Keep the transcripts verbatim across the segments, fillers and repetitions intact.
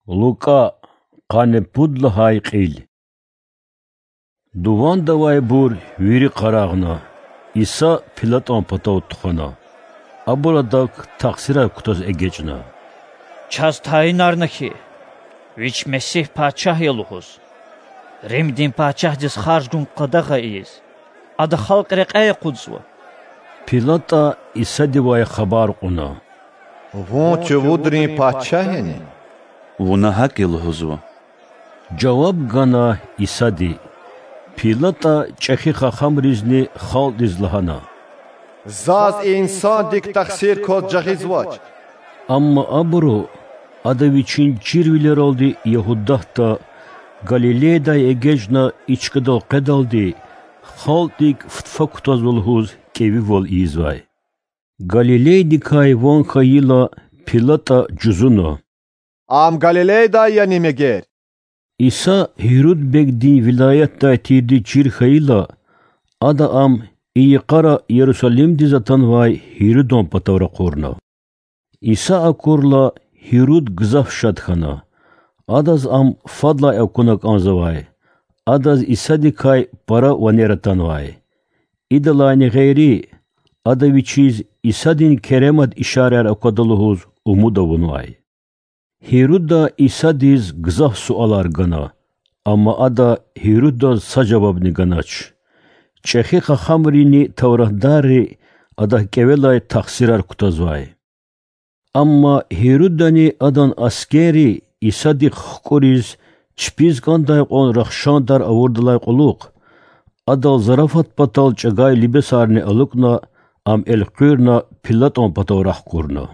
Лукӏа, къанни пуд лагьай кьил. Дувандавайбур вири къарагъна, Иса ПилатӀан патав тухвана. Абур адак тахсирар кутаз эгечӀна: Чаз тайинарна хьи, Вич Месигь пачагь я лугьуз, Римдин пачагьдиз харж гун къадагъа ийиз, Ада халкь рекьяй акъудзава. ПилатӀа Исадивай хабар кьуна: Вун чувудрин пачагь яни? Вуна гьакӀ я лугьузва,– жаваб гана Исади. ПилатӀа чӀехи хахамризни халкьдиз лагьана: Заз и инсандик тахсир кваз жагъизвач. Амма абуру Ада Вичин чирвилералди Ягьудатда, Галилейдай эгечӀна и чкадал къведалди, халкьдик фтфа кутазва лугьуз кӀевивал ийизвай. Галилейдикай ван хьайила, ПилатӀа жузуна: Ам Галилейдай яни мегер? Иса Гьируд бегдин вилаятдай тирди чир хьайила, ада ам и йикъара Ярусалимдиз атанвай Гьирудан патав ракъурна. Иса акурла, Гьируд гзаф шад хьана. Адаз ам фадлай акуна кӀанзавай. Адаз Исадикай пара ванер атанвай. Идалайни гъейри, ада вичиз Исадин керемат ишараяр аквада лугьуз умуд авунвай. Гьируда Исадиз гзаф суалар гана, амма ада Гьирудаз са жавабни ганач. ЧӀехи хахамрини тавратдарри адак кӀевелай тахсирар кутазвай. Амма Гьирудани адан аскерри Исадихъ хкӀуриз чпиз кӀандай кьван рахшандар авурдалай кьулухъ, адал зарафат патал чӀагай либасарни алукӀна, ам элкъуьрна ПилатӀан патав рахкурна.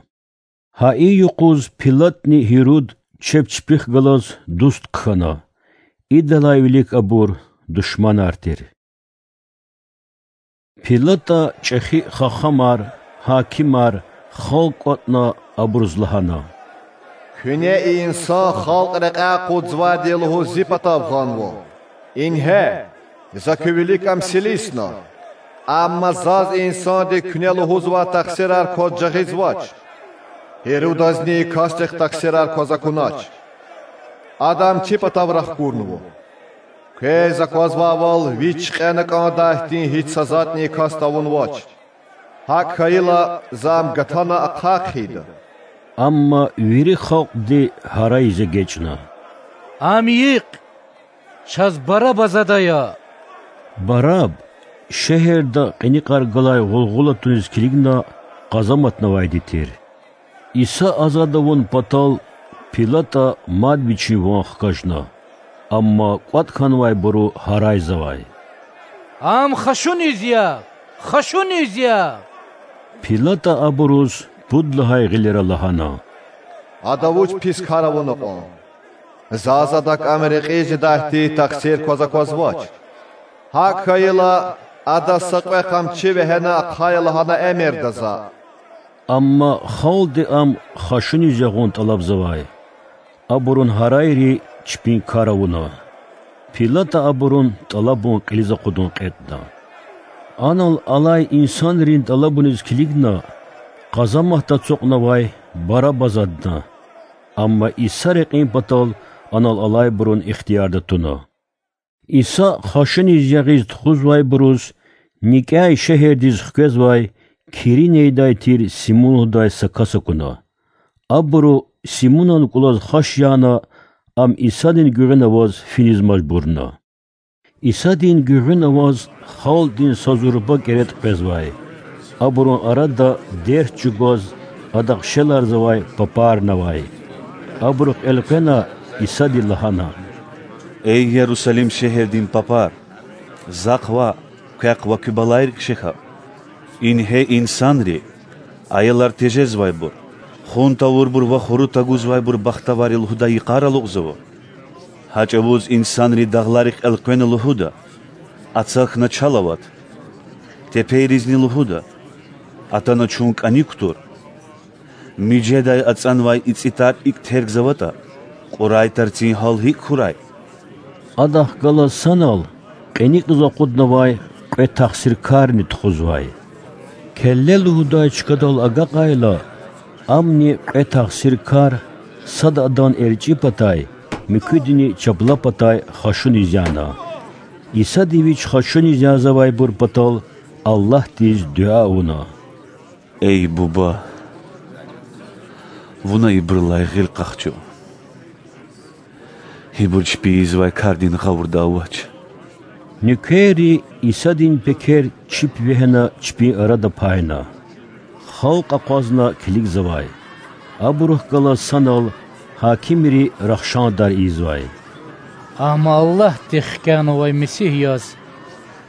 Гьа и юкъуз ПилатӀни Гьируд чеб чпихъ галаз дуст хъхьана. Идалай вилик абур душманар тир. ПилатӀа чӀехи хахамар, гьакимар, халкь кӀватӀна, абуруз лагьана: Куьне и инсан халкь рекьяй акъудзавайди я лугьуз зи патав гъанва. Ингье, за куь вилик ам силисна. Амма заз и инсандик куьне лугьузвай тахсирар кваз жагъизвач. Гьирудазни и касдихъ тахсирар кваз акунач. Ада ам чи патав рахкурнава. Квез аквазвайвал, вич кьена кӀандай хьтин гьич са затӀни и касди авунвач. ГьакӀ хьайила, за ам гатана ахъа хъийида. Амма вири халкьди гьарайиз эгечӀна: Ам йикь! Чаз Барабаз ада ая! Бараб шегьерда кьиникьар галай гъулгъула туниз килигна къазаматнавайди тир. Иса азад авун патал ПилатӀа мад вичин ван хкажна, амма кӀватӀ хьанвайбуру гьарайзавай: Ам хашуниз ягъ! Хашуниз ягъ! ПилатӀа абуруз пуд лагьай гъилера лагьана: Ада вуч пис кар авуна кьван? Заз адак ам рекьиз жедай хьтин тахсир кваз аквазвач. ГьакӀ хьайила, адаз са кьве къамчи вегьена ахъая лагьана эмирда за. Амма халкьди ам хашуниз ягъун тӀалабзавай. Абурун гьарайри чпин кар авуна. ПилатӀа абурун тӀалабун кьилиз акъудун кьетӀна. Анал алай инсанрин тӀалабуниз килигна, къазаматда ацукьнавай Барабаз адна, амма Иса рекьин патал анал алайбурун ихтиярда туна. Иса хашуниз ягъиз тухузвайбуруз никӀяй шегьердиз хквезвай Киринейдай тир Симун лугьудай са кас акуна. Абуру, Симунан кӀулаз хаш яна, ам Исадин гуьгъуьна аваз финиз мажбурна. Исадин гуьгъуьна аваз халкьдин са зурба кӀеретӀ къвезвай. Абурун арада дерт чӀугваз, Адахъ шеларзавай папарни авай. Абурухъ элкъвена, Исади лагьана: Эй Ярусалим шегьердин папар, Захъ ваъ, квехъ ва куь балайрик шехьа. Ингье инсанри, аялар тежезвайбур, хун тавурбур ва хурук тагузвайбур бахтавар я лугьудай йикъар алукьзава. Гьа чӀавуз инсанри дагъларихъ элкъвена лугьуда: Ацахьна, чал ават! Тепейризни лугьуда: Атана чун кӀаник кутур! Мижедай ацӀанвай ицӀи тар икӀ тергзаватӀа, кьурай тарцин гьал гьикӀ хьурай? Адахъ галаз санал кьиникьиз акъуднавай кьве тахсиркарни тухузвай. Келле лугьудай чкадал агакьайла, амни кьве тахсиркар Сада Адан эрчӀи патай, муькуьдини чапла патай хашуниз яна. Исади Вич хашуниз янзавайбур патал Аллагьдиз дуьа авуна: Эй Буба, Вуна ибурулай гъил къахчу. Ибур чпи ийизвай кардин гъавурда авач. Нуькерри Исадин пекер чип вегьена чпин арада пайна. Халкь акъвазна килигзавай. Абурухъ галаз санал гьакимри рахшандар ийизвай: Ам Аллагьди хкянавай Месигь яз,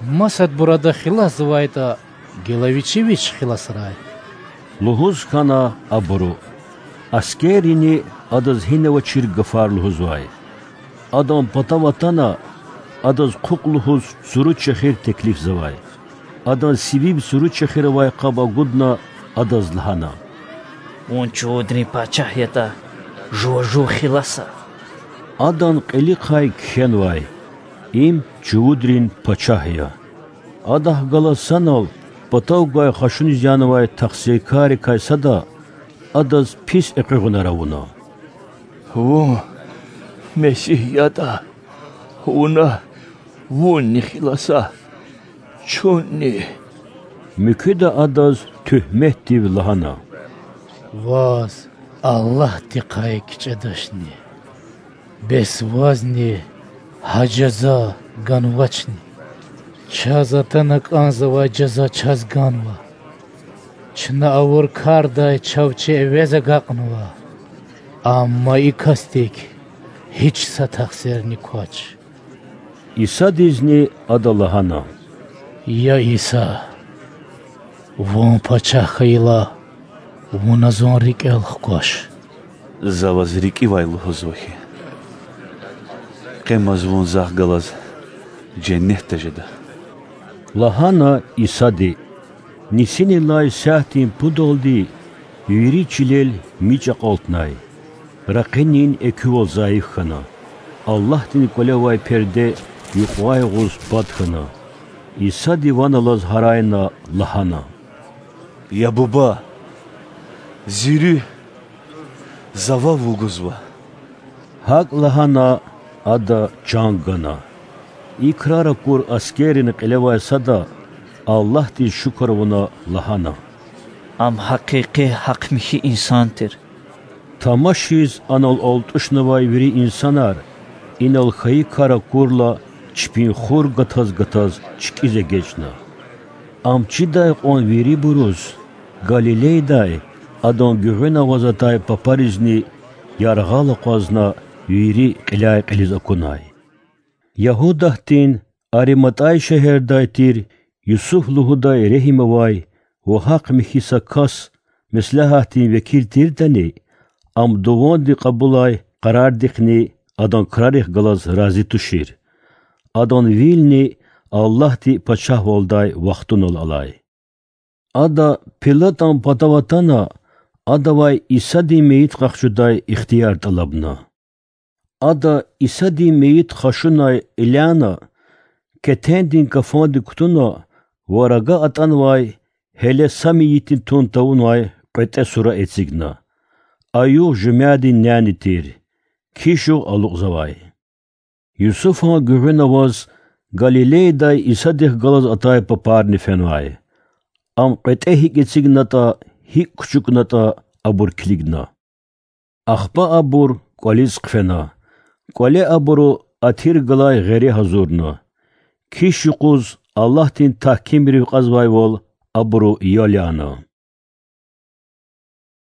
масадбур Ада хиласзавайтӀа, гила Вичи Вич хиласрай,— лугьуз хьана абуру. Аскеррини Адаз гьинавачир гафар лугьузвай. Адан патав атана, Адаз хъухъ лугьуз цуру чехир теклифзавай. Адан сивив цуру чехир авай къаб агудна, Адаз лагьана: Вун чувудрин пачагь ятӀа, жува жув хиласа. Адан кьилихъай кхьенвай: Им чувудрин пачагь я. Адахъ галаз санал патав гвай хашуниз янавай тахсиркаррикай сада Адаз пис экъуьгъунар авуна: Вун Месигь ятӀа, Вуна Вунни хиласа, чунни. Муькуьда Адаз туьгьметдив лагьана: Ваз Аллагьдихъай кичӀедачни, бес Вазни гьа жаза ганвачни? Чаз атана кӀанзавай жаза чаз ганва. Чна авур кардай чав чи эвез агакьнава, амма и касдик гьич са тахсирни квач. Исадизни ада лагьана: Я Иса, Вун пачагь хьайила, Вуна Зун рикӀел хкваш. За ваз рикӀивай лугьузва хьи, къемаз вун Захъ галаз женнетда жеда,— лагьана Исади. Нисинилай сятдин пудалди вири чилел мичӀ акьалтнай. Ракъинин экуьвал зайиф хьана. Аллагьдин КӀвале авай перде юкьвай агъуз пад хьана. Исади ван алаз гьарайна лагьана: Я Буба, Зи руьгь За вав вугузва. ГьакӀ лагьана, Ада чан гана. И крар акур аскеррин кьиле авай сада, Аллагьдиз шукур авуна, лагьана: Ам гьакъикъи гьахъ-михьи инсан тир. Тамашиз анал алтӀушнавай вири инсанар, инал хьайи кар акурла, чпин хур гатаз-гатаз чкӀиз эгечӀна. Ам чидай кьван вирибуруз Галилейдай Адан гуьгъуьна аваз атай папаризни яргъал акъвазна, вири кьиляй-кьилиз акунай. Ягьудатдин Ариматӏай шегьердай тир Юсуф лугьудай регьим авай ва гьахъ-михьи са кас меслягьатдин векил тирдани, ам дуванди кьабулай къарардихъни адан крарихъ галаз рази тушир. Адан вилни Аллагьди пачагьвалдай вахтунал алай. Ада, Пилатан патав атана, адавай Исадин мейит къахчудай ихтияр тӏалабна. Ада Исадин мейит хашунай кьиляна, кетендин кафанди кутуна ва рага атӏанвай гьеле са мейитдин тун тавунвай кьветӏе сура эцигна. А югъ жуьмядин няни тир, киш югъ алукьзавай. Юсуфан гуьгъуьна аваз Галилейдай Исадихъ галаз атай папарни фенвай. Ам кьветӏе гьикӏ эцигнатӏа, гьикӏ кучукнатӏа абур килигна. Ахпа абур кӏвализ хъфена. Кӏвале абуру атир галай гъери гьазурна. Киш юкъуз Аллагьдин тагькимрив кьазвайвал абуру ял яна.